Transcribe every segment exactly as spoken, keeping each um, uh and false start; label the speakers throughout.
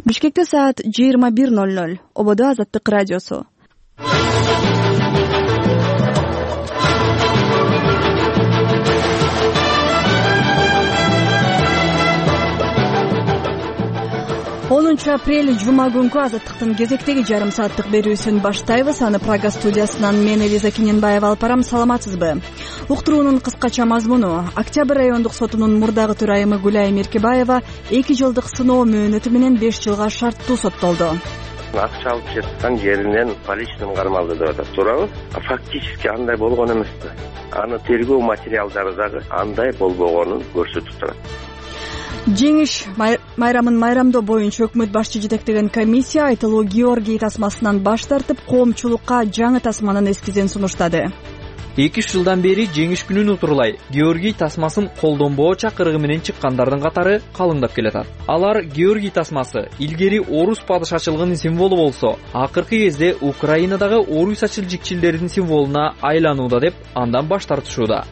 Speaker 1: Бишкекте саат жыйырма бир ноль ноль. Ободо Азаттык радиосу. онунчу апрель жума күнкү Азаттыктын кезектеги жарым сааттык берүүсүн баштайбыз. Аны Прага студиясынан мен Элиза Кененбаева алып барам. Саламатсызбы? Уктуруунун кыскача мазмуну: Октябрь райондук сотунун мурдагы төрайымы Гүлай Меркебаева эки жылдык сыноо мөөнөтү менен беш жылга шарттуу соттолду.
Speaker 2: Акча алып жаткан жеринен полициянын кармалды деп атат, туурабы? Фактически андай болгон эмес да. Аны тергөө материалдары дагы андай болбогонун көрсөтүп турат.
Speaker 1: Жеңиш майрамын майрамдоо боюнча өкмөт башчы жетектеген комиссия айтылуу Георгий тасмасынан баш тартып, коомчулукка жаңы тасманын эскизин сунуштады.
Speaker 3: эки үч жылдан бери жеңиш күнүн утурлай Георгий тасмасын колдонбоо чакырыгы менен чыккандардын катары калыңдап келатат. Алар Георгий тасмасы илгери орус падышачылыгынын символу болсо, акыркы кезде Украинадагы орус-ачыл-жикчилдердин символуна айланууда деп андан баш тартышууда.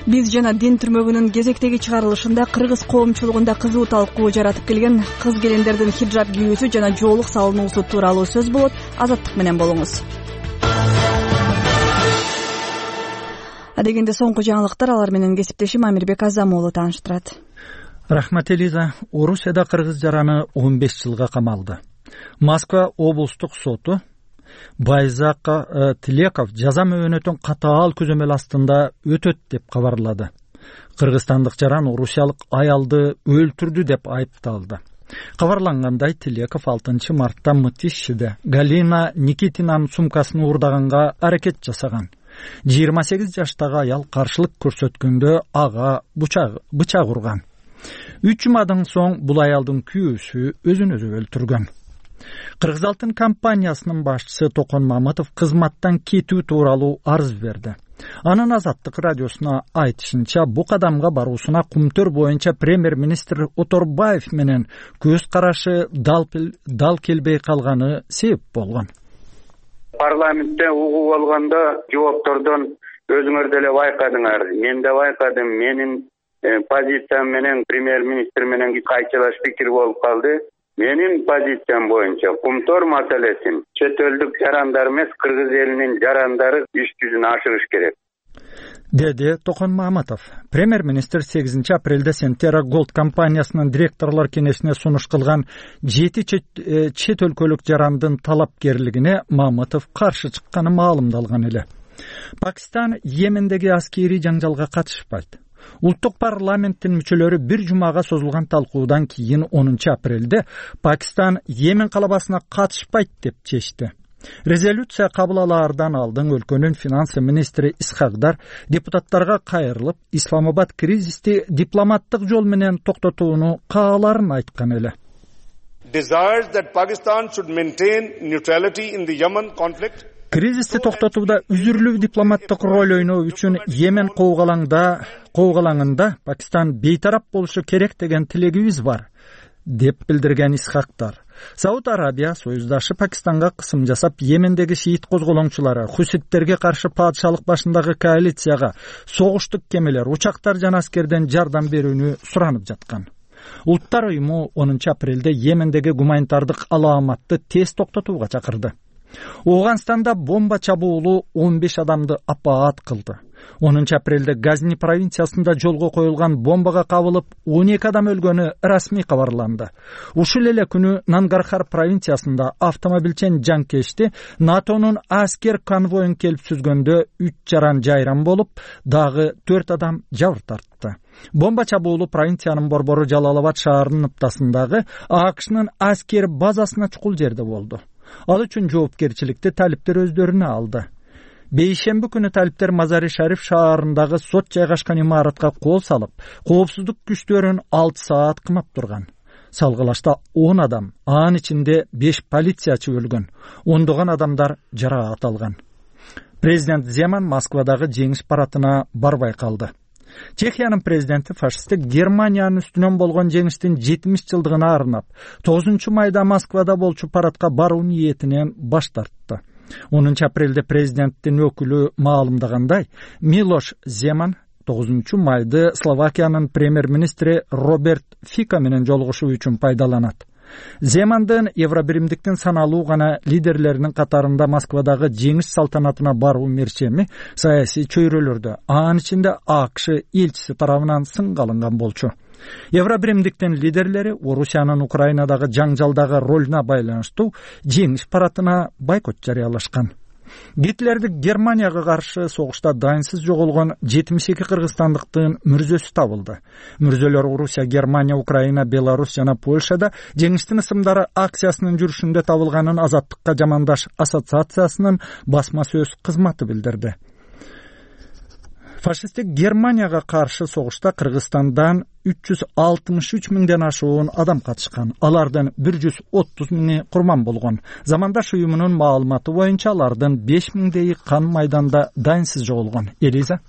Speaker 1: Биз жана дин түрмөгүнүн кезектеги чыгарылышында кыргыз коомчулугунда кызуу талкуу жаратып келген кыз келиндердин хиджаб кийүүсү жана жоолук салынуусу тууралуу сөз болот. Азаттык менен болуңуз. Адегенде соңку жаңылыктар алар менен кесиптешим Амирбек Азамуулу тааныштырат.
Speaker 4: Рахмат Элиза. Орусияда кыргыз жараны он беш жылга камалды. Москва облустук соту Байзак Тилеков жаза мөөнөтүн катаал көзөмөл астында өтөт деп кабарлады. Кыргызстандык жаран орусиялык аялды өлтүрдү деп айыпталды. Кабарлангандай, Тилеков алтынчы мартта Мытищеде Галина Никитинанын сумкасын уурдаганга аракет жасаган. жыйырма сегиз жаштагы аял каршылык көрсөткөндө ага бычак урган. үч жумадан соң бул аялдын күйөөсү өзүн өзү өлтүргөн. Кыргыз Алтын компаниясынын башчысы Токон Мамытов кызматтан кетүү тууралуу арыз берди. Анын Азаттык радиосуна айтышынча, бу кадамга баруусуна Кумтөр боюнча премьер-министр Оторбаев менен көз карашы дал келбей калганы себеп болгон.
Speaker 5: Парламентте угуп алганда жооптордон өзүңөр деле байкадыңар. Мен да байкадым. Менин позициям менен премьер-министр менен кайчылаш пикир болуп калды. Менин позициям боюнча Кумтөр маселесин чет элдик жарандар эмес, кыргыз элинин жарандары иш жүзүн ашырыш керек,
Speaker 4: деди Токон Мамытов. Премьер-министр сегизинчи апрелде Сентера Голд компаниясынын директорлор кеңешине сунуш кылган жети чет өлкөлүк жарандын талапкерлигине Мамытов каршы чыкканы маалымдалган эле. Пакистан Йемендеги аскерий жаңжалга катышпайт. Улуттук парламенттин мүчөлөрү бир жумага созулган талкуудан кийин онунчу апрелде Пакистан Йемен калабасына катышпайт деп чечти. Резолюция кабыл алаардан алдын өлкөнүн финанс министри Исхакдар депутаттарга кайрылып, Исламабад кризисти дипломаттык жол менен токтотууну кааларын айткан эле.
Speaker 6: Desires that Pakistan should maintain neutrality in the Yemen conflict.
Speaker 4: Кризисти токтотууда үзүрлүү дипломаттык роль ойноо үчүн Йемен коогалаңда коогалаңында Пакистан бейтарап болушу керек деген тилегибиз бар, деп билдирген Исхактар. Сауд Арабия союздашы Пакистанга кысым жасап, Йемендеги шиит козголоңчулары, хуситтерге каршы падышалык башындагы коалицияга согуштук кемелер, учактар жана аскерден жардам берүүнү суранып жаткан. Улуттар уюму онунчу апрелде Йемендеги гуманитардык алааматты тез токтотууга чакырды. Оганстанда бомба чабуулу он беш адамды апаат кылды. онунчу апрелде Газни провинциясында жолго коюлган бомбага кабылып он эки адам өлгөнү расмий кабарланды. Ушул эле күнү Нангархар провинциясында автомобилчен жанкечти НАТОнун аскер конвоюн келип сүзгөндө үч жаран жайран болуп, дагы төрт адам жабыр тартты. Бомба чабуулу провинциянын борбору Жалалабад шаарынын ыптасындагы АКШнын аскер базасына чукул жерде болду. Ал үчүн жоопкерчиликти талиптер өздөрүнө алды. Бейшемби күнү талиптер Мазари Шариф шаарындагы сот жайгашкан имаратка кол салып, коопсуздук күчтөрүн алты саат кымап турган. Салгылашта он адам, анын ичинде беш полициячы өлгөн, ондогон адамдар жараат алган. Президент Земан Москвадагы жеңиш парадына барбай калды. Чехиянын президенти фашисттик Германиянын үстүнөн болгон жеңиштин жетимиш жылдыгына арнап, тогузунчу майда Москвада болчу парадка баруу ниетинен баш тартты. онунчу апрелде президенттин өкүлү маалымдагандай, Милош Земан тогузунчу майды Словакиянын премьер-министри Роберт Фика менен жолугушуу үчүн пайдаланат. Земандын Евробиримдиктин саналуу гана лидерлеринин катарында Москвадагы жеңиш салтанатына баруу мерчеми саясий чөйрөлөрдө, анын ичинде АКШ элчиси тарабынан сынга алынган болчу. Евробиримдиктин лидерлери Орусиянын Украинадагы жаңжалдагы ролуна байланыштуу жеңиш парадына бойкот жарыялашкан. Гитлердик Германияга каршы согушта дайынсыз жоголгон жетимиш эки кыргызстандыктын мүрзөсү табылды. Мүрзөлөр Орусия, Германия, Украина, Беларусь жана Польшада жеңиштин ысымдары акциясынын жүрүшүндө табылганын Азаттыкка жамандаш ассоциациясынын басма сөз кызматы билдирди. Фашисттик Германияга каршы согушта Кыргызстандан үч жүз алтымыш үч миңден ашуун адам катышкан. Алардын бир жүз отуз миңи курман болгон. Замандаш уюмунун маалыматы боюнча алардын беш миңдейи кан майданда дайынсыз жоголгон. Элиза.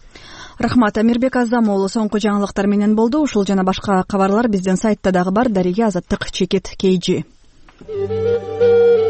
Speaker 1: Рахмат, Амирбек Азамоğlu соңку жаңылыктар менен болду. Ушул жана башка кабарлар биздин сайтта дагы бар. Дарига Азаттык Чекет Кейжи.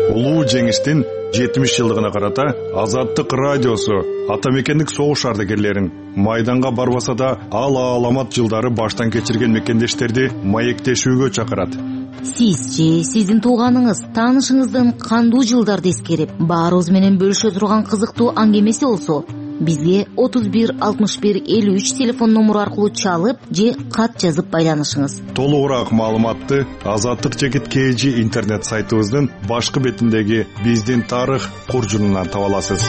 Speaker 7: Улуу жеңиштин жетимиш жылдыгына карата Азаттык радиосу ата мекендик согуш ардагерлерин майданга барбаса да ал аламат жылдары баштан кечирген мекендештерди маектешүүгө чакырат.
Speaker 8: Сиз же сиздин тууганыңыз, таанышыңыздын кандуу жылдарды эскерип, баарыбыз менен бөлүшө турган кызыктуу аңгемеси болсо, бизге отуз бир алтымыш бир элүү үч телефон номуру аркылуу чалып же кат жазып байланышыңыз.
Speaker 7: Толугураак маалыматты Азаттык Чекит Кейжи интернет сайтыбыздын башкы бетиндеги биздин тарых куржунунан таба аласыз.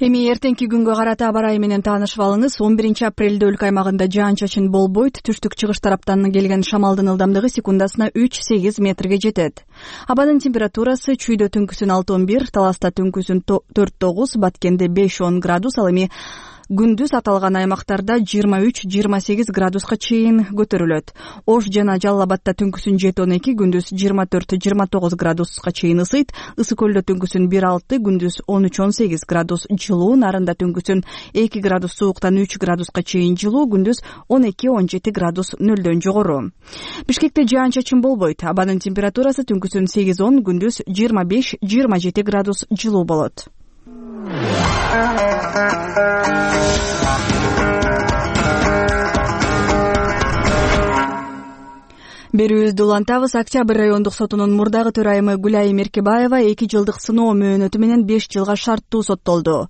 Speaker 1: Эми эртеңки күнгө карата аба ырайы менен таанышып алыңыз. он биринчи апрелде өлкө аймагында жаан-чачын болбойт. Түштүк чыгыш тараптан келген шамалдын ылдамдыгы секундасына үч сегиз метрге жетет. Абанын температурасы чүйдө түнкүсүн алты он бир, Таласта түнкүсүн төрт тогуз, Баткенде беш он градус, ал эми күндүз аталган аймактарда жыйырма үч жыйырма сегиз градуска чейин көтөрүлөт. Ош жана Жалал Абадта түнкүсүн жети он эки, күндүз жыйырма төрт жыйырма тогуз градуска чейин ысыйт. Ысык көлдө түнкүсүн бир алты, күндүз он үч он сегиз градус жылуу. Нарында түнкүсүн эки градус сууктан үч градуска чейин жылуу, күндүз он эки он жети градус нөлдөн жогору. Бишкекте жаан-чачын болбойт. Абанын температурасы түнкүсүн сегиз он, күндүз жыйырма беш жыйырма жети градус жылуу болот. Берүүбүздү улантабыз. Октябрь райондук сотунун мурдагы төрайымы Гүлайым Эркебаева эки жылдык сыноо мөөнөтү менен беш жылга шарттуу соттолду.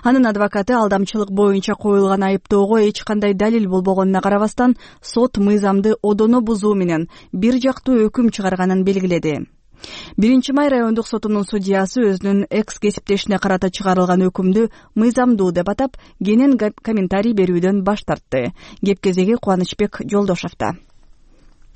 Speaker 1: Анын адвокаты алдамчылык боюнча коюлган айыптоого эч кандай далил болбогонуна карабастан, сот мыйзамды одоно бузуу менен бир жактуу өкүм чыгарганын белгиледи. биринчи май райондук сотунун судьясы өзүнүн экс кесиптешине карата чыгарылган өкүмдү мыйзамдуу деп атап, кенен комментарий берүүдөн баш тартты. Кеп кезеги Кубанычбек Жолдошовдо.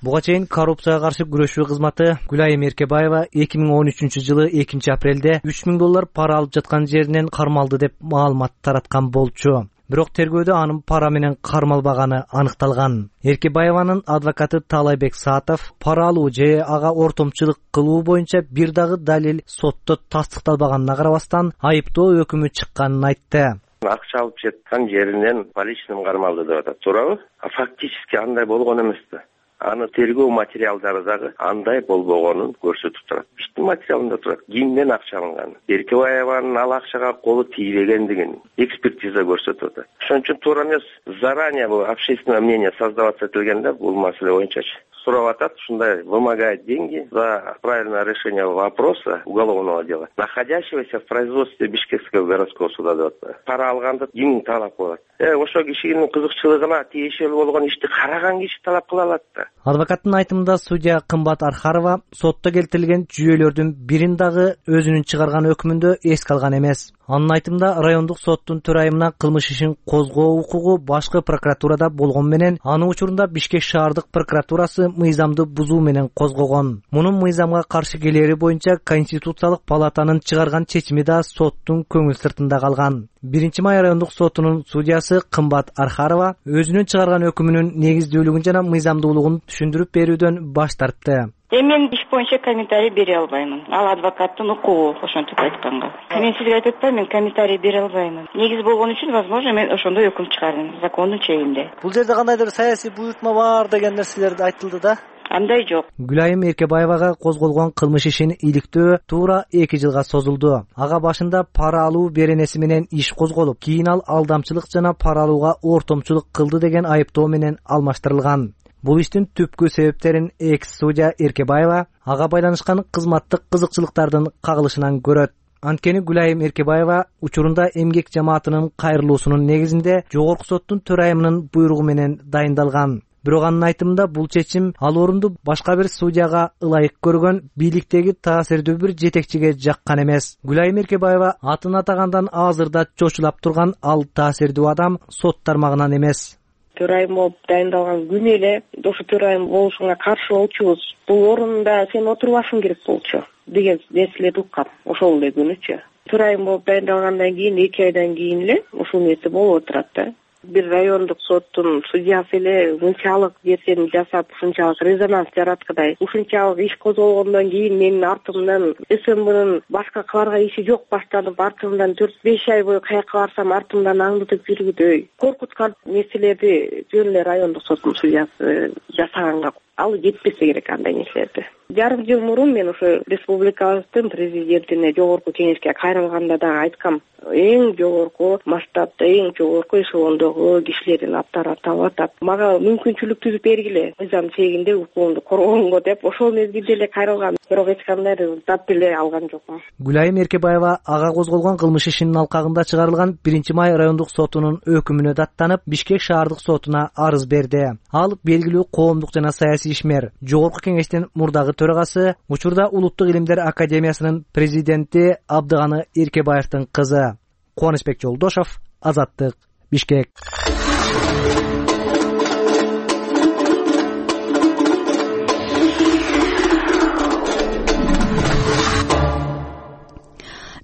Speaker 9: Буга чейин коррупцияга каршы күрөшүү кызматы Гүлайым Эркебаева эки миң он үчүнчү жылы экинчи апрелде үч миң доллар пара алып жаткан жеринен кармалды деп маалымат тараткан болчу. Бирок тергөөдө анын пара менен кармалбаганы аныкталган. Эркебаеванын адвокаты Талайбек Саатов пара алуу же ага ортомчулук кылуу боюнча бир дагы далил сотто тастыкталбаганына карабастан айыптоо өкүмү чыкканын айтты.
Speaker 2: Акча алып жаткан жеринен полициянын кармалды деп атат, туурабы? Фактически андай болгон эмес да. Аны тергөө материалдары дагы андай болбогонун көрсөтүп турат. Иштин материалында турат. Кимден акча алынган? Эркебаеванын ал акчага колу тийбегендигин экспертиза көрсөтүп атат. Ошон үчүн туура эмес. Заранее бул общественное мнение создаваться этилгенде бул маселе боюнча сурап атат, ушундай вымогает деньги за правильное решение вопроса уголовного дела, находящегося в производстве Бишкекского городского суда деп атат. Пара алганды ким талап кылат? Э, ошо кишинин кызыкчылыгына тиешелүү болгон ишти караган киши талап кыла алат да.
Speaker 9: Адвокаттын айтымында судья Кымбат Архарова сотто келтирилген жүйөлөрдүн бирин дагы өзүнүн чыгарган өкүмүндө эске алган эмес. Анын айтымында райондук соттун төрайымына кылмыш ишин козгоо укугу башкы прокуратурада болгон менен анын учурунда Бишкек шаардык прокуратурасы мыйзамды бузуу менен козгогон. Мунун мыйзамга каршы келери боюнча Конституциялык палатанын чыгарган чечими да соттун көңүл сыртында калган. биринчи май райондук сотунун судьясы Кымбат Архарова өзүнүн чыгарган өкүмүнүн негиздүүлүгүн жана мыйзамдуулугун түшүндүрүп берүүдөн баш тартты.
Speaker 10: Мен иш боюнча комментарий бере албаймын. Ал адвокаттын укугу, ошентип айтканга. Мен сизге айтып атпаймын, мен комментарий бере албаймын. Негиз болгон үчүн, возможно, мен ошондой өкүм чыгардым, закондун чегинде.
Speaker 9: Бул жерде кандайдыр саясий буйртма бар деген нерселер айтылды да.
Speaker 10: Андай жок.
Speaker 9: Гүлайым Эркебаевага козголгон кылмыш ишин иликтөө туура эки жылга созулду. Ага башында пара алуу беренеси менен иш козголуп, кийин ал алдамчылык жана пара алууга ортомчулук кылды деген айыптоо менен алмаштырылган. Бул иштин түпкү себептерин экс судья Эркебаева ага байланышкан кызматтык кызыкчылыктардын кагылышынан көрөт. Анткени Гүлайым Эркебаева учурунда эмгек жамаатынын кайрылуусунун негизинде жогорку соттун төрайымынын буйругу менен дайындалган. Бирок анын айтымында бул чечим ал орунду башка бир судьяга ылайык көргөн бийликтеги таасирдүү бир жетекчиге жаккан эмес. Гүлайым Эркебаева атын атагандан азырда чочулап турган ал таасирдүү адам сот тармагынан эмес.
Speaker 11: Төрайым болуп дайындалган күнү эле ошо төрайым болушуңа каршы болчубуз. Бул орунда сен отурбашың керек болчу деген нерселерди уккам. Ошол эле күнүчү. Төрайым болуп дайындалгандан кийин эки айдан кийин эле ушул нерсе болуп отурат да. Бир райондук соттун судьясы эле ушунчалык нерсени жасап, ушунчалык резонанс жараткандай, ушунчалык иш козголгондон кийин менин артымдан СМБнын башка кыларга иши жок баштанып, артымдан төрт беш ай бою каяка барсам артымдан аңдытып жүргүдөй коркуткан нерселерди жөн эле райондук соттун судьясы жасаганга ал жетпесе керек андай нерселерди. Жарым жыл мурун мен ошо республикабыздын президентине жогорку кеңешке кайрылганда да айткам, эң жогорку масштабта, эң жогорку эшелондогу кишилердин аттары аталып атат. Мага мүмкүнчүлүк түзүп бергиле, мыйзам чегинде укугумду коргогонго деп ошол мезгилде эле кайрылгам. Бирок эч кандай результат деле алган жокмун.
Speaker 9: Гүлайым Эркебаева ага козголгон кылмыш ишинин алкагында чыгарылган биринчи май райондук сотунун өкүмүнө даттанып, Бишкек шаардык сотуна арыз берди. Ал белгилүү коомдук жана саясий ишмер, жогорку кеңештин мурдагы төрагасы, учурда Улуттук илимдер академиясынын президенти Абдыганы Эркебаевдин кызы. Кубанычбек Жолдошов, Азаттык, Бишкек.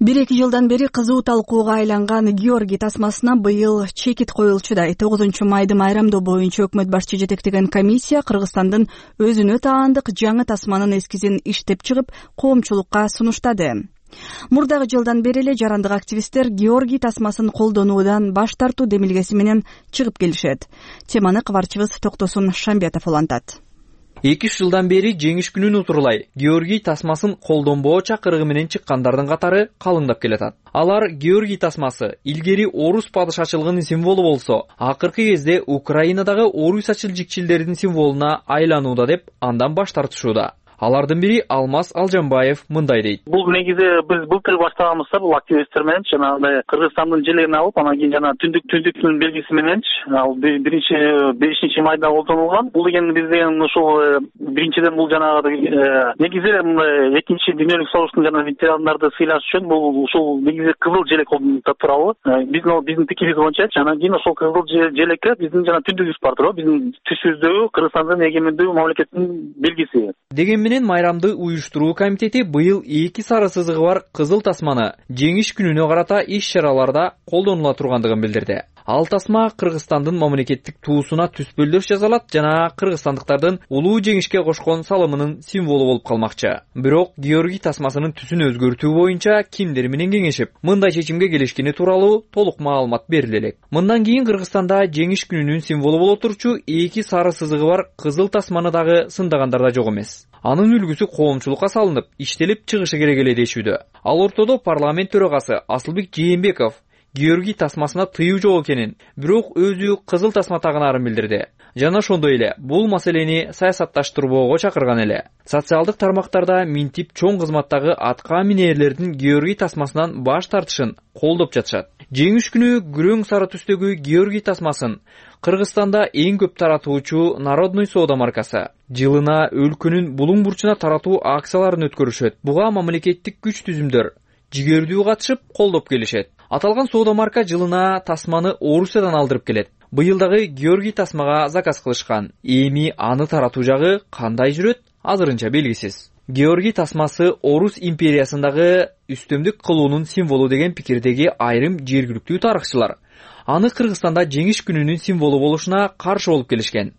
Speaker 1: бир эки жылдан бери кызуу талкууга айланган Георгий тасмасына быйыл чекит коюлчудай. тогузунчу майды майрамдоо боюнча өкмөт башчы жетектеген комиссия Кыргызстандын өзүнө таандык жаңы тасманын эскизин иштеп чыгып, коомчулукка сунуштады. Мурдагы жылдан бери эле жарандык активисттер Георгий тасмасын колдонуудан баш тартуу демилгеси менен чыгып келишет. Теманы кабарчыбыз Токтосун Шамбетов улантат.
Speaker 3: эки үч жылдан бери жеңиш күнүн утурлай Георгий тасмасын колдонбоо чакырыгы менен чыккандардын катары калыңдап келатат. Алар Георгий тасмасы илгери орус падышачылыгынын символу болсо, акыркы кезде Украинадагы орусачыл жикчилдердин символуна айланууда деп андан баш тартышууда. Алардын бири Алмаз Алжанбаев мындай дейт.
Speaker 12: Бул негизи биз былтыр баштаганбыз, бул активисттер менен жанагындай Кыргызстандын желегин алып, анан кийин жана түндүк түндүктүн белгиси менен ал биринчи бешинчи майда колдонулган. Бул деген биз деген ушул биринчиден бул жанагы негизи экинчи дүйнөлүк согуштун жана ветерандарды сыйлаш үчүн бул ушул негизи кызыл желек тууралуу биздин биздин пикирибиз боюнча анан кийин ошол кызыл желекке биздин жана түндүгүбүз бар туурабы, биздин түсүбүздөгү Кыргызстандын эгемендүү мамлекеттин белгиси.
Speaker 3: Деген менен майрамды уюштуруу комитети быйыл эки сары сызыгы бар кызыл тасманы жеңиш күнүнө карата иш-чараларда колдонула тургандыгын билдирди. Ал тасма Кыргызстандын мамлекеттик туусуна түспөлдөш жасалат жана кыргызстандыктардын улуу жеңишке кошкон салымынын символу болуп калмакчы. Бирок Георгий тасмасынын түсүн өзгөртүү боюнча кимдер менен кеңешип, мындай чечимге келишкени тууралуу толук маалымат бериле элек. Мындан кийин Кыргызстанда жеңиш күнүнүн символу боло турчу эки сары сызыгы бар кызыл тасманы дагы сындагандар да жок эмес. Анын үлгүсү коомчулукка салынып, иштелип чыгышы керек эле дешүүдө. Ал ортодо парламент төрагасы Асылбек Жээнбеков Георгий тасмасына тыюу жок экенин, бирок өзү кызыл тасма тагынаарын билдирди. Жана ошондой эле бул маселени саясатташтырбоого чакырган эле. Социалдык тармактарда минтип чоң кызматтагы атка минээрлердин Георгий тасмасынан баш тартышын колдоп жатышат. Жеңиш күнү күрөң сары түстөгү Георгий тасмасын Кыргызстанда эң көп таратуучу Народный соода маркасы. Жылына өлкөнүн булуң бурчуна таратуу акцияларын өткөрүшөт. Буга мамлекеттик күч түзүмдөр жигердүү катышып колдоп келишет. Аталган соода марка жылына тасманы Орусиядан алдырып келет. Быйылдагы Георгий тасмага заказ кылышкан. Эми аны таратуу жагы кандай жүрөт, азырынча белгисиз. Георгий тасмасы Орус империясындагы үстөмдүк кылуунун символу деген пикирдеги айрым жергиликтүү тарыхчылар аны Кыргызстанда жеңиш күнүнүн символу болушуна каршы болуп келишкен.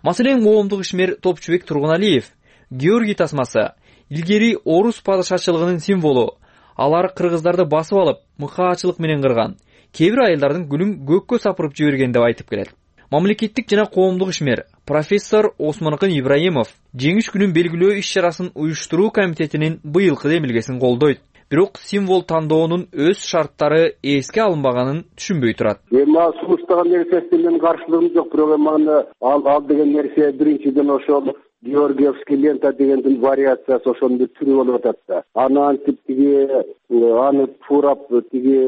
Speaker 3: Маселен, коомдук ишмер Топчубек Тургуналиев Георгий тасмасы илгери орус падышачылыгынын символу. Алар кыргыздарды басып алып, мыкаачылык менен кырган, кээ бир айылдардын гүлүн көккө сапырып жиберген деп айтып келет. Мамлекеттик жана коомдук ишмер профессор Осмонкын Ибраимов жеңиш күнүн белгилөө иш-чарасын уюштуруу комитетинин быйылкы демилгесин колдойт. бирок символ тандоонун өз шарттары эске алынбаганын түшүнбөй турат.
Speaker 13: Эми ал сунуштаган нерсесине менин каршылыгым жок, бирок эми аны ал ал деген нерсе биринчиден ошол Георгиевский лента дегендин вариациясы, ошонун бир түрү болуп атат да. Аны антип тиги аны туурап тиги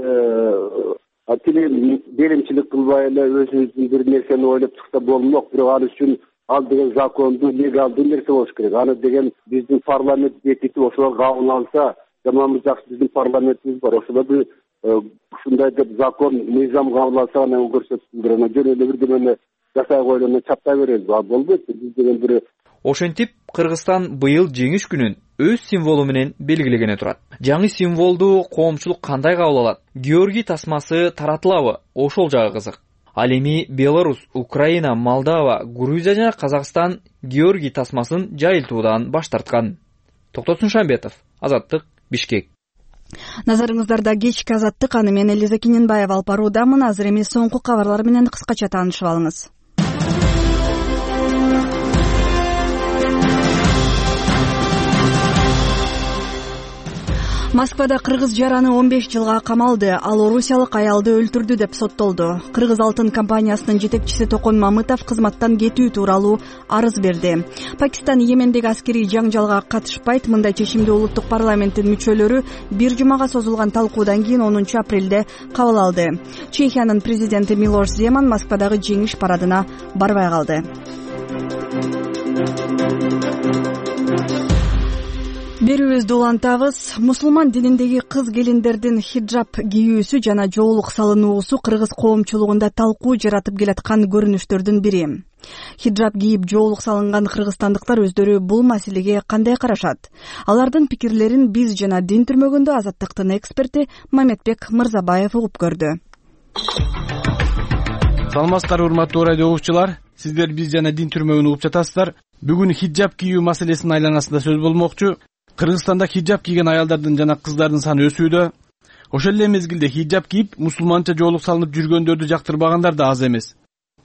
Speaker 13: тили белимчилик кылбай эле өзүбүздүн бир нерсени ойлоп чыкса болмок, бирок ал үчүн ал деген закондуу, легалдуу нерсе болуш керек. Аны деген биздин парламент бекитип ошол кабыл алса, тамамы жакшы. Биздин парламентибиз бар, ошол бир ушундай деп закон, мыйзам кабыл алса анан көрсөтсүндөр. Анан жөн эле бир демени жасай коелу, чаптай берели. А болбойт. Биз деген бир
Speaker 3: Ошентип, Кыргызстан быйыл жеңиш күнүн өз символу менен белгилегене турат. Жаңы символду коомчулук кандай кабыл алат? Георгий тасмасы таратылабы? Ошол жагы кызык. Ал эми Беларусь, Украина, Молдова, Грузия жана Казакстан Георгий тасмасын жайылтуудан баш тарткан. Токтосун Шамбетов, Азаттык, Бишкек.
Speaker 1: Назарыңыздарда кечки Азаттык, аны мен Элиза Киненбаева алып баруудамын. Азыр эми соңку кабарлар менен кыскача таанышып алыңыз. Москвада кыргыз жараны он беш жылга камалды. Ал орусиялык аялды өлтүрдү деп соттолду. Кыргыз алтын компаниясынын жетекчиси Токон Мамытов кызматтан кетүү тууралуу арыз берди. Пакистан Йемендеги аскерий жаңжалга катышпайт. Мындай чечимди улуттук парламенттин мүчөлөрү бир жумага созулган талкуудан кийин онунчу апрелде кабыл алды. Чехиянын президенти Милош Земан Москвадагы жеңиш парадына барбай калды. Берүүбүздү улантабыз. Мусулман дининдеги кыз келиндердин хиджаб кийүүсү жана жоолук салынуусу кыргыз коомчулугунда талкуу жаратып келаткан көрүнүштөрдүн бири. Хиджаб кийип жоолук салынган кыргызстандыктар өздөрү бул маселеге кандай карашат? Алардын пикирлерин биз жана Дин түрмөгүндө Азаттыктын эксперти Маметбек Мырзабаев угуп көрдү.
Speaker 14: Саламатсыздарбы, урматтуу радио угуучулар. Сиздер биз жана Дин түрмөгүн угуп жатасыздар. Бүгүн хиджаб кийүү маселесинин айланасында сөз болмокчу. Кыргызстанда хиджаб кийген аялдардын жана кыздардын саны өсүүдө. Ошол эле мезгилде хиджаб кийип мусулманча жоолук салынып жүргөндөрдү жактырбагандар да аз эмес.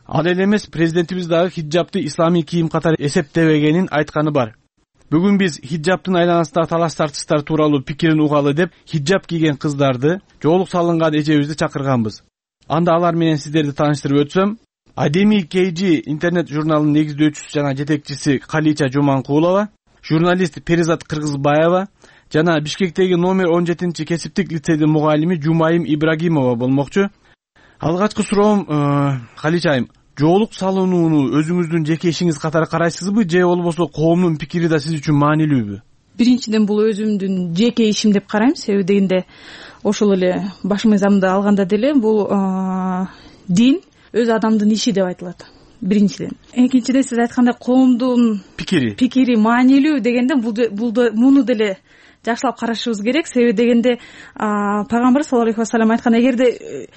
Speaker 14: Ал эле эмес, президентибиз дагы хиджабты исламий кийим катары эсептебегенин айтканы бар. Бүгүн биз хиджабтын айланасындагы талаш тартыштар тууралуу пикирин угалы деп, хиджаб кийген кыздарды, жоолук салынган эжебизди чакырганбыз. Анда алар менен сиздерди тааныштырып өтсөм, Адеми кей джи интернет журналынын негиздөөчүсү жана жетекчиси Калича Жуманкулова, журналист Перизат Кыргызбаева жана Бишкектеги номер он жетинчи кесиптик лицейдин мугалими Жумайым Ибрагимова болмокчу. Алгачкы суроом, Калича айым, жоолук салынууну өзүңүздүн жеке ишиңиз катары карайсызбы, же болбосо коомдун пикири да сиз үчүн маанилүүбү?
Speaker 15: Биринчиден бул өзүмдүн жеке ишим деп карайм, себеби дегенде ошол эле баш мыйзамды алганда деле бул дин өз адамдын иши деп айтылат. Биринчиден. Экинчиден сиз айткандай коомдун пикири пикири маанилүү дегенде бул муну деле жакшылап карашыбыз керек. Себеби дегенде пайгамбар саллаллаху алейхи вассалам айткан, эгерде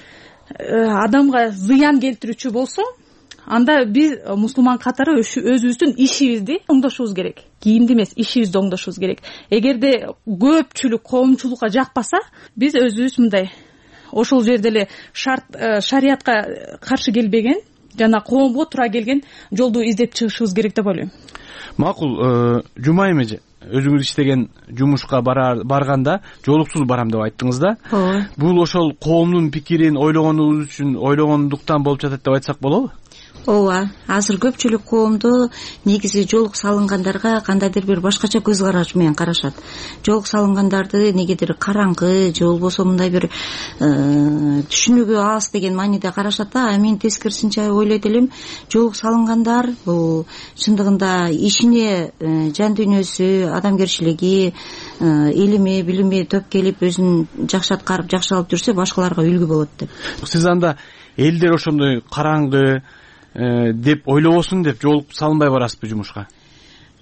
Speaker 15: адамга зыян келтирүүчү болсо, анда биз мусулман катары өзүбүздүн ишибизди оңдошубуз керек. Кийимди эмес, ишибизди оңдошубуз керек. Эгерде көпчүлүк коомчулукка жакпаса, биз өзүбүз мындай ошол жерде эле шарт шариятка каршы келбеген жана коомго туура келген жолду издеп чыгышыбыз керек деп ойлойм.
Speaker 14: Макул, Жумайым эже, өзүңүз иштеген жумушка барганда жоолуксуз барам деп айттыңыз да.
Speaker 15: Ооба.
Speaker 14: Бул ошол коомдун пикирин ойлогонубуз үчүн ойлогондуктан болуп жатат деп айтсак болобу?
Speaker 16: Ооба, азыр көпчүлүк коомдо негизи жоолук салынгандарга кандайдыр бир башкача көз караш менен карашат. Жоолук салынгандарды негедир караңгы же болбосо мындай бир түшүнүгү аз деген мааниде карашат да. Мен тескерисинче ойлойт элем, жоолук салынгандар бул чындыгында ишине, жан дүйнөсү, адамгерчилиги, илими, билими төп келип өзүн жакшы аткарып, жакшы алып жүрсө башкаларга үлгү болот деп.
Speaker 14: Сиз анда элдер ошондой караңгы деп ойлобосун деп жоолук салынбай барасызбы жумушка?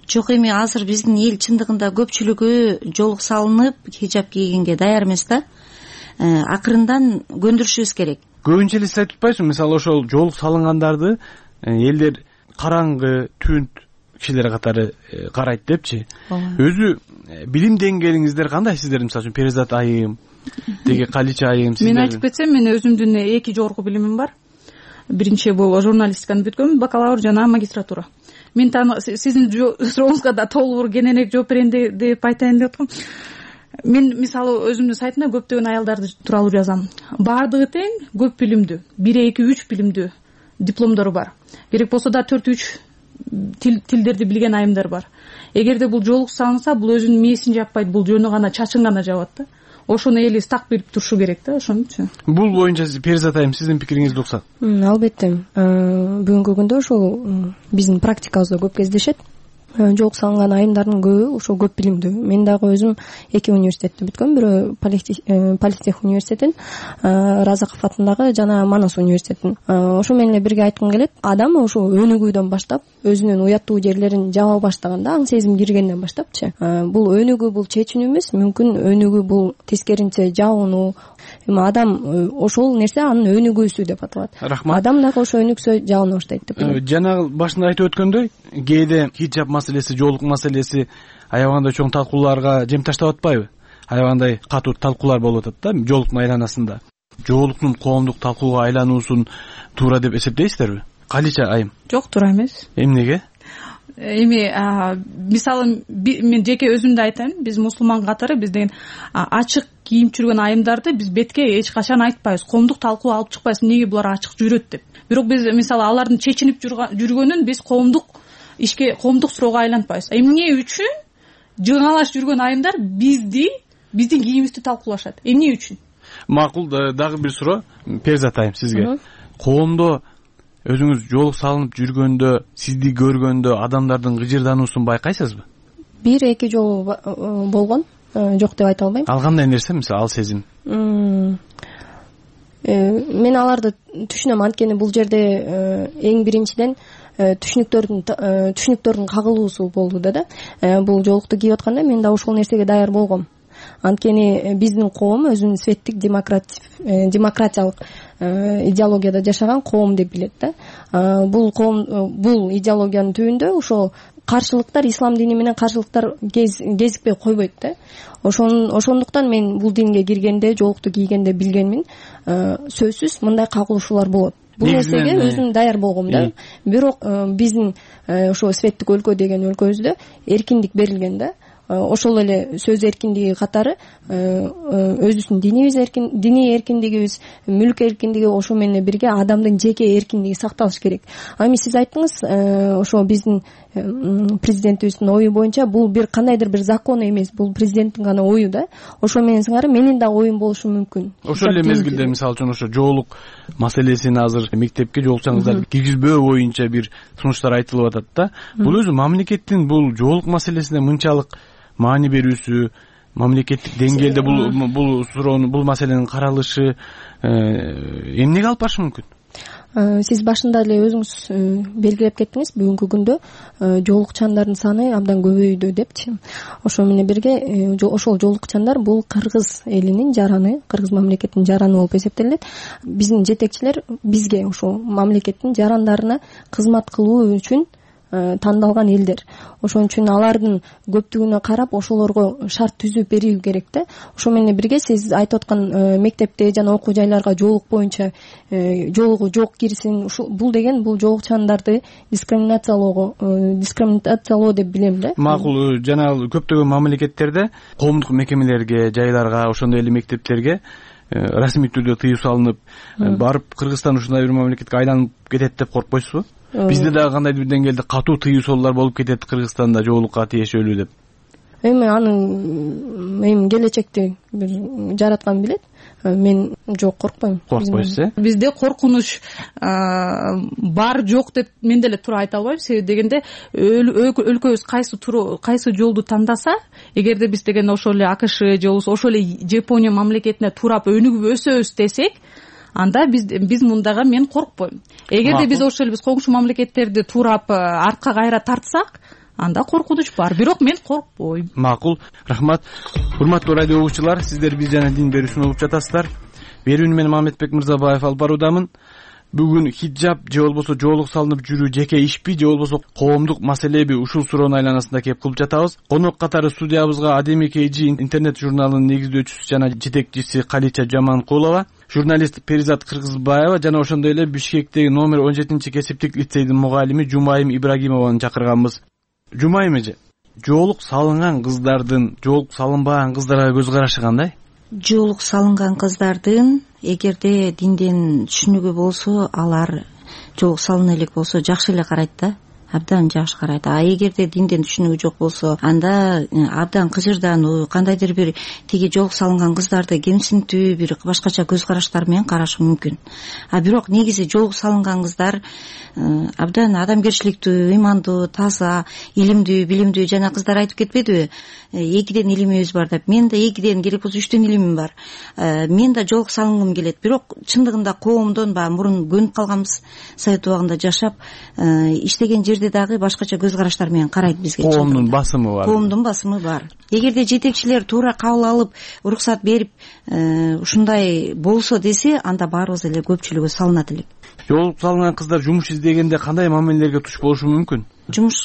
Speaker 16: Жок, эми азыр биздин эл чындыгында көпчүлүгү жоолук салынып хиджаб кийгенге даяр эмес да. Акырындан көндүрүшүбүз керек.
Speaker 14: Көбүнчө эле сиз айтып атпайсызбы, мисалы ошол жоолук салынгандарды элдер караңгы, түнт кишилер катары карайт депчи. Өзү билим деңгээлиңиздер кандай сиздердин? Мисалы үчүн Перизат айым, деги Калича айым сиздер.
Speaker 15: Мен айтып кетсем, мен өзүмдүн эки жогорку билимим бар. Биринчи бул журналистиканы бүткөм, бакалавр жана магистратура. Мен сиздин сурооңузга да толугураак кененирээк жооп берейин деп айтайын деп аткам. мен мисалы өзүмдүн сайтымда көптөгөн аялдарды тууралуу жазам. Баардыгы тең көп билимдүү, бир эки үч билимдүү дипломдору бар. Керек болсо да төрт үч тил тилдерди билген айымдар бар. Эгерде бул жоолук салынса, бул өзүнүн мээсин жаппайт, бул жөнү гана чачын гана жабат да. Ошону эли так билип турушу керек да, ошонучу.
Speaker 14: Бул боюнча Перизат айым сиздин пикириңизди уксак.
Speaker 17: Албетте, бүгүнкү күндө ошол биздин практикабызда көп кездешет. Жоолук салынган айымдардын көбү ошо көп билимдүү. Мен дагы өзүм эки университетти бүткөм. Бирөө Политех университетин, Разаков атындагы жана Манас университетин. Ошо менен эле бирге айткым келет. Адам ошо өнүгүүдөн баштап, өзүнүн уяттуу жерлерин жаба баштаганда, аң сезим киргенден баштапчы. Бул өнүгүү, бул чечүүнү эмес, мүмкүн өнүгүү бул тескеринче жабынуу. Эми адам ошол нерсе анын өнүгүүсү деп аталат.
Speaker 14: Рахмат.
Speaker 17: Адам дагы ошо өнүксө жабына баштайт деп ойлойм.
Speaker 14: Жана башында айтып өткөндөй, кээде хиджаб маселеси, жоолук маселеси аябагандай чоң талкууларга жем таштап атпайбы? Аябагандай катуу талкуулар болуп атат да жоолуктун айланасында. Жоолуктун коомдук талкууга айлануусун туура деп эсептейсиздерби? Калича айым?
Speaker 15: Жок, туура эмес.
Speaker 14: Эмнеге?
Speaker 15: Эми мисалы мен жеке өзүмдү айтайын, биз мусулман катары биз деген ачык кийип жүргөн айымдарды биз бетке эч качан айтпайбыз, коомдук талкуу алып чыкпайбыз, эмнеге булар ачык жүрөт деп. Бирок биз мисалы алардын чечинип жүргөнүн биз коомдук ишке, коомдук суроого айлантпайбыз. Эмне үчүн жыңалаш жүргөн айымдар бизди, биздин кийимибизди талкуулашат? Эмне үчүн?
Speaker 14: Макул, дагы бир суроо Перизат айым сизге. Коомдо өзүңүз жоолук салынып жүргөндө, сизди көргөндө адамдардын гыжырдануусун байкайсызбы?
Speaker 17: Бир эки жолу болгон, жок деп айта албайм.
Speaker 14: Ал кандай нерсе, мисалы, ал сезим?
Speaker 17: Мен аларды түшүнөм, анткени бул жерде эң биринчиден түшүнүктөрдүн түшүнүктөрдүн кагылуусу болду да. Бул жоолукту кийип атканда мен да ошол нерсеге даяр болгом. Анткени биздин коом өзүнүн светтик демократиялык идеологияда жашаган коом деп билет да. Бул коом, бул идеологиянын түбүндө ошо каршылыктар, ислам дини менен каршылыктар кезикпей койбойт да. Ошон ошондуктан мен бул динге киргенде, жоолукту кийгенде билгенмин, сөзсүз мындай кагылышуулар болот. Бул нерсеге өзүм даяр болгом да. Бирок биздин ошо светтик өлкө деген өлкөбүздө эркиндик берилген да. Ошол эле сөз эркиндиги катары өзүбүздүн динибиз эркин, диний эркиндигибиз, мүлк эркиндиги, ошо менен бирге адамдын жеке эркиндиги сакталыш керек. Эми сиз айттыңыз, ошо биздин президентибиздин ою боюнча бул бир кандайдыр бир закон эмес, бул президенттин гана ою да. Ошо менен сыңары менин да оюм болушу мүмкүн.
Speaker 14: Ошол эле мезгилде мисалы үчүн ошо жоолук маселесин азыр мектепке жоолукчаңыздар киргизбөө боюнча бир сунуштар айтылып атат да. Бул өзү мамлекеттин бул жоолук маселесине мынчалык маани берүүсү, мамлекеттик деңгээлде бул бул суроону, бул маселенин каралышы эмнеге алып барышы мүмкүн?
Speaker 17: Сиз башында эле өзүңүз белгилеп кеттиңиз, бүгүнкү күндө жоолукчандардын саны абдан көбөйдү депчи. Ошо менен бирге ошол жоолукчандар бул кыргыз элинин жараны, кыргыз мамлекетинин жараны болуп эсептелет. Биздин жетекчилер бизге ошо мамлекеттин жарандарына кызмат кылуу үчүн тандалган элдер. Ошон үчүн алардын көптүгүнө карап ошолорго шарт түзүп берүү керек да. Ошо менен бирге сиз айтып аткан мектепте жана окуу жайларга жоолук боюнча жоолугу жок кирсин. Бул деген бул жоолукчандарды дискриминациялоого, дискриминациялоо деп билем да.
Speaker 14: Макул, жана көптөгөн мамлекеттерде коомдук мекемелерге, жайларга, ошондой эле мектептерге расмий түрдө тыюу салынып, барып Кыргызстан ушундай бир мамлекетке айланып кетет деп коркпойсузбу? Бизде дагы кандайдыр бир деңгээлде катуу тыюу салуулар болуп кетет Кыргызстанда жоолукка тиешелүү деп.
Speaker 17: Эми аны эми келечекти бир жараткан билет. Мен жок коркпойм.
Speaker 14: Коркпойсуз э?
Speaker 15: Бизде коркунуч бар жок деп мен деле туура айта албайм. Себеби дегенде өлкөбүз кайсы кайсы жолду тандаса, эгерде биз деген ошол эле АКШ же ошол эле Жапония мамлекетине туурап өнүгүп өсөбүз десек, анда биз биз мундага мен коркпойм. Эгерде биз ошол эле биз коңшу мамлекеттерди туурап артка кайра тартсак, анда коркунуч бар. Бирок мен коркпойм.
Speaker 14: Макул, рахмат. Урматтуу радио угуучулар, сиздер биз жана дин берүүсүн угуп жатасыздар. Берүүнү мен Мамедбек Мырзабаев алып баруудамын. Бүгүн хиджаб же болбосо жоолук салынып жүрүү жеке ишпи же болбосо коомдук маселеби, ушул суроонун айланасында кеп кылып жатабыз. Конок катары студиябызга Адеми Кейжи интернет журналынын негиздөөчүсү жана жетекчиси Калича Жаманкулова, журналист Перизат Кыргызбаева жана ошондой эле Бишкектеги номер он жетинчи кесиптик лицейдин мугалими Жумайым Ибрагимованы чакырганбыз. Жумайым эже, жоолук салынган кыздардын жоолук салынбаган кыздарга көз карашы кандай?
Speaker 16: жоолук салынган кыздардын эгерде динден түшүнүгү болсо, алар жоолук салына элек болсо жакшы эле карайт да, абдан жакшы карайт. А эгерде динден түшүнүгү жок болсо, анда абдан кыжырдануу, кандайдыр бир тиги жоолук салынган кыздарды кемсинтүү, бир башкача көз караштар менен карашы мүмкүн. А бирок негизи жоолук салынган кыздар абдан адамгерчиликтүү, ыймандуу, таза, илимдүү, билимдүү. Жана кыздар айтып кетпедиби, экиден илимибиз бар деп. Мен да экиден, керек болсо үчтөн илимим бар. Мен да жоолук салынгым келет. Бирок чындыгында коомдон баягы мурун көнүп калганбыз, совет убагында жашап, иштеген жерде дагы башкача көз караштар менен карайт бизге.
Speaker 14: Коомдун басымы бар.
Speaker 16: Коомдун басымы бар. Эгерде жетекчилер туура кабыл алып, уруксат берип, ушундай болсо десе, анда баарыбыз эле көпчүлүгү салынат элек.
Speaker 14: Жоолук салынган кыздар жумуш издегенде кандай мамилелерге туш болушу мүмкүн?
Speaker 16: Жумуш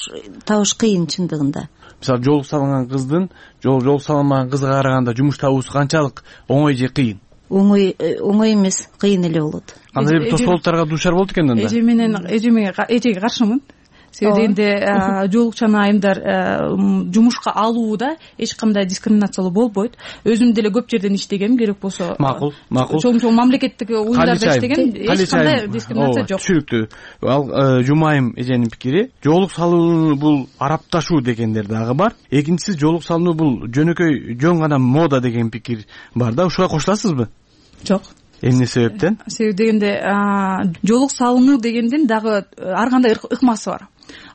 Speaker 16: табыш кыйын чындыгында.
Speaker 14: Мисалы, жоолук салынган кыздын жоолук салынбаган кызга караганда жумуш табуусу канчалык оңой же кыйын?
Speaker 16: Оңой оңой эмес, кыйын эле болот.
Speaker 14: Кандай бир тосолуктарга дуушар болот экен анда?
Speaker 15: Эже менен эжеме эжеге каршымын. Себеби дегенде жоолукчан айымдар жумушка алууда эч кандай дискриминациялоо болбойт. Өзүм деле көп жерден иштегем, керек болсо.
Speaker 14: Макул, макул.
Speaker 15: Чоң-чоң мамлекеттик уюмдарда иштеген, эч кандай дискриминация жок.
Speaker 14: Түшүнүктүү. Ал Жумайым эженин пикири, жоолук салуу бул арапташуу дегендер дагы бар. Экинчиси, жоолук салуу бул жөнөкөй жөн гана мода деген пикир бар да. Ушуга кошуласызбы?
Speaker 15: Жок.
Speaker 14: Эмне себептен?
Speaker 15: Себеби дегенде жоолук салынуу дегендин дагы ар кандай ыкмасы бар.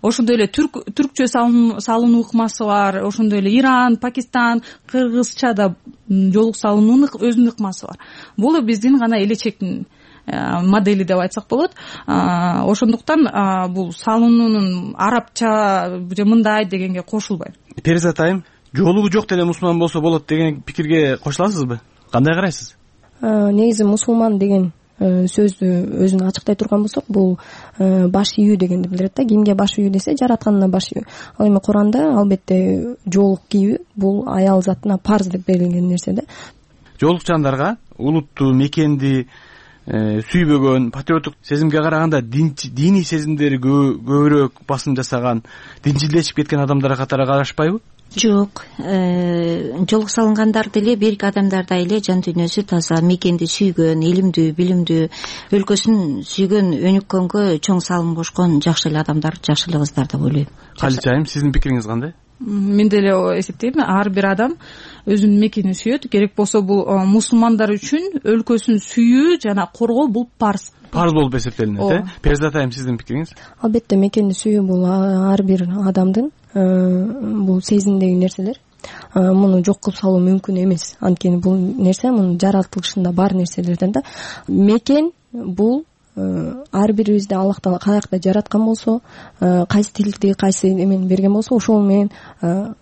Speaker 15: Ошондой эле түрк түркчө салынуу ыкмасы бар, ошондой эле Иран, Пакистан, Кыргызчада жоолук салынуунун өзүнүн ыкмасы бар. Бул биздин гана элечектин модели деп айтсак болот. Ошондуктан бул салынуунун арабча же мындай дегенге кошулбайм.
Speaker 14: Перизат айым, жоолугу жок деле мусулман болсо болот деген пикирге кошуласызбы? Кандай карайсыз?
Speaker 17: Негизи мусулман деген сөздү өзүн ачыктай турган болсок, бул баш ийүү дегенди билдирет да. Кимге баш ийүү десе, жаратканына баш ийүү. Ал эми Куранда албетте жоолук кийүү бул аял затына парз деп берилген нерсе да.
Speaker 14: Жоолукчандарга улутту, мекенди сүйбөгөн, патриоттук сезимге караганда диний сезимдери көбүрөөк басым жасаган, динчилдешип кеткен адамдар катары карашпайбы?
Speaker 16: Жок, жоолук салынгандар деле берки адамдардай эле жан дүйнөсү таза, мекенди сүйгөн, илимдүү, билимдүү, өлкөсүн сүйгөн, өнүккөнгө чоң салым кошкон жакшы эле адамдар, жакшы эле кыздар деп ойлойм.
Speaker 14: Калич айым, сиздин пикириңиз кандай?
Speaker 15: Мен деле эсептейм, ар бир адам өзүнүн мекенин сүйөт. Керек болсо бул мусулмандар үчүн өлкөсүн сүйүү жана коргоо бул парз.
Speaker 14: Парз болуп эсептелинет, э? Перизат айым, сиздин пикириңиз?
Speaker 17: Албетте мекенди сүйүү бул ар бир адамдын бул сезимдеги нерселер. Муну жок кылып салуу мүмкүн эмес. Анткени бул нерсе мунун жаратылышында бар нерселерден да. Мекен бул ар бирибизди Аллах Таала каякта жараткан болсо, кайсы тилди, кайсы эмени берген болсо, ошол менен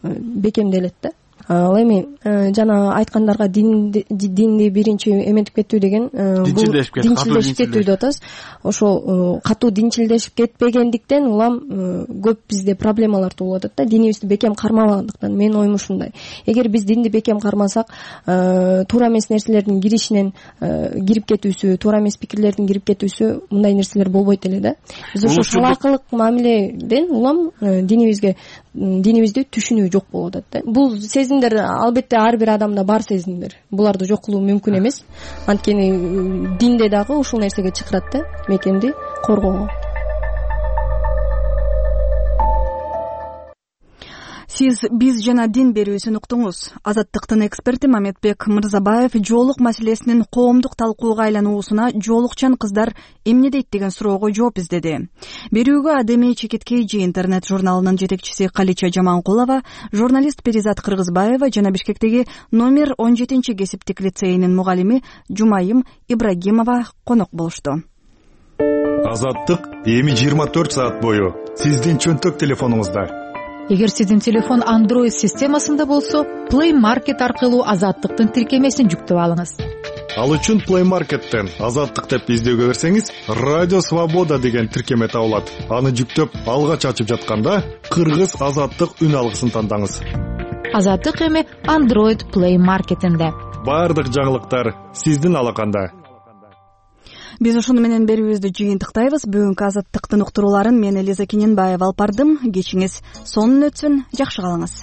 Speaker 17: бекемделет да. Ал эми жана айткандарга динди биринчи эметип кеттүү деген бул динчилдешип кеттүү деп атабыз. Ошол катуу динчилдешип кетпегендиктен улам көп бизде проблемалар туулуп атат да, динибизди бекем кармабагандыктан. Менин оюм ушундай. Эгер биз динди бекем кармасак, туура эмес нерселердин киришинен кирип кетүүсү, туура эмес пикирлердин кирип кетүүсү, мындай нерселер болбойт эле да. Биз ошо салаакылык мамиледен улам динибизге динибизди түшүнүү жок болуп атат да. Бул сезимдер албетте ар бир адамда бар сезимдер. Буларды жок кылуу мүмкүн эмес. Анткени динде дагы ушул нерсеге чакырат да, мекенди коргоого.
Speaker 1: Сиз биз жана дин берүүсүн уктуңуз. Азаттыктын эксперти Мамедбек Мырзабаев жоолук маселесинин коомдук талкууга айлануусуна жоолукчан кыздар эмне дейт деген суроого жооп издеди. Берүүгө Адемий Чекиткейжи интернет журналынын жетекчиси Калича Жаманкулова, журналист Перизат Кыргызбаева жана Бишкектеги номер он жетинчи кесиптик лицейинин мугалими Жумайым Ибрагимова конок болушту.
Speaker 7: Азаттык эми жыйырма төрт саат бою сиздин чөнтөк телефонуңузда.
Speaker 18: Эгер сиздин телефон Android системасында болсо, Play Market аркылуу Азаттыктын тиркемесин жүктөп алыңыз.
Speaker 7: Ал үчүн Play Market'тен Азаттык деп издөөгө берсеңиз, Радио Свобода деген тиркеме табылат. Аны жүктөп, алгач ачып жатканда Кыргыз Азаттык үн алгысын тандаңыз.
Speaker 18: Азаттык эми Android Play Market'инде.
Speaker 7: Бардык жаңылыктар сиздин алаканда.
Speaker 1: биз ушуну менен берүүбүздү жыйынтыктайбыз. Бүгүнкү Азаттыктын уктурууларын мен Элиза Кененбаева алып бардым. Кечиңиз сонун өтсүн, жакшы калыңыз.